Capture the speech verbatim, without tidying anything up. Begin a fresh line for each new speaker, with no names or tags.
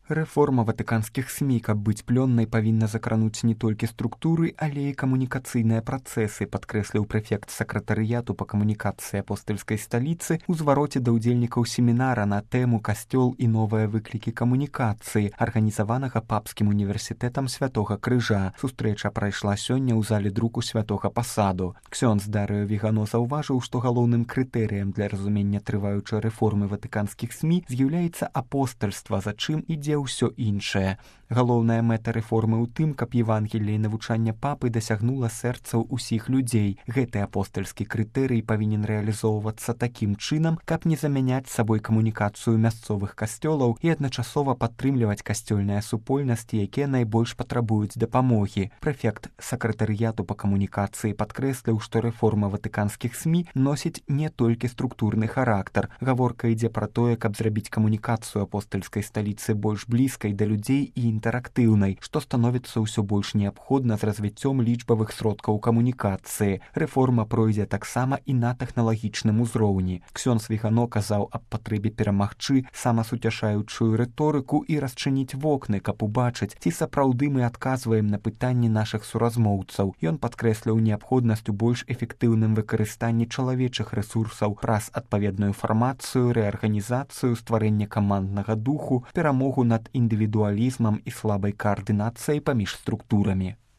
Рэформа ватыканскіх СМІ, каб быць плённай, павінна закрануць не толькі структуры, але і камунікацыйныя працэсы, падкрэсліў прэфект сакратарыяту па камунікацыі апостальскай сталіцы ў звароце да ўдзельнікаў семінара на тэму «Касцёл і новыя выклікі камунікацыі», арганізаванага папскім універсітэтам Святога Крыжа. Сустрэча прайшла сёння ў зале друку Святога Пасаду. Ксёндз Дарыё Вігано заўважыў, што галоўным крытэрыем для разумення трываючай рэформы ватыканскіх СМІ з'яўляецца апостальства, за чым ідзе ўсё іншае. Галоўная мэта рэформы ў тым, каб Евангелле і навучанне папы дасягнула сэрцаў усіх людзей. Гэты апостальскі крытэрый павінен рэалізоўвацца такім чынам, каб не замяняць сабой камунікацыю мясцовых касцёлаў і адначасова падтрымліваць касцёльныя супольнасці, якія найбольш патрабуюць дапамогі. Прэфект сакратарыяту па камунікацыі падкрэсліў, што рэформа ватыканскіх СМІ носіць не толькі структурны характар. Гаворка ідзе пра тое, каб зрабіць камунікацыю апостальскай сталіцы больш блізкай да людзей і інтэрактыўнай, што становіцца ўсё больш неабходна з развіццём лічбавых сродкаў камунікацыі. Рэформа пройдзе таксама і на тэхналагічным узроўні. Ксёндз Вігано казаў аб патрэбе перамагчы самасуцяшаючую рыторыку і расчыніць вокны, каб убачыць, ці сапраўды мы адказваем на пытанні нашых суразмоўцаў. Ён падкрэсліў неабходнасць у больш эфектыўным выкарыстанні чалавечых рэсурсаў праз адпаведную фармацыю, рэарганізацыю, стварэнне каманднага духу, перамогу над індывідуалізмам і слабай каардынацыяй паміж структурамі.